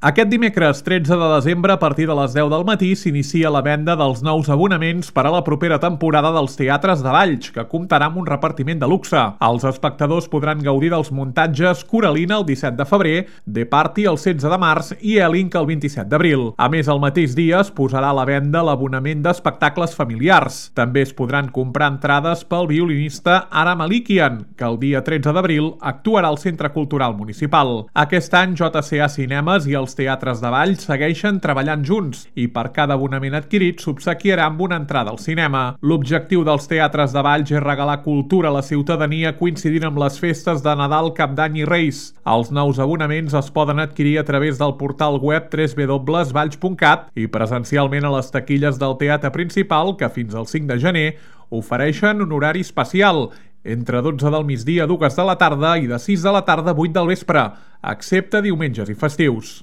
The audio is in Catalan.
Aquest dimecres 13 de desembre, a partir de les 10 del matí, s'inicia la venda dels nous abonaments per a la propera temporada dels teatres de Valls, que comptarà amb un repartiment de luxe. Els espectadors podran gaudir dels muntatges Coralina el 17 de febrer, The Party el 16 de març i Elink el 27 d'abril. A més, el mateix dia es posarà a la venda l'abonament d'espectacles familiars. També es podran comprar entrades pel violinista Ara Malikian, que el dia 13 d'abril actuarà al Centre Cultural Municipal. Aquest any, JCA Cinemes i els teatres de Valls segueixen treballant junts i per cada abonament adquirit s'obsequiarà amb una entrada al cinema. L'objectiu dels teatres de Valls és regalar cultura a la ciutadania coincidint amb les festes de Nadal, Cap d'Any i Reis. Els nous abonaments es poden adquirir a través del portal web www.valls.cat i presencialment a les taquilles del teatre principal, que fins al 5 de gener ofereixen un horari especial entre 12 del migdia a 2 de la tarda i de 6 de la tarda a 8 del vespre, excepte diumenges i festius.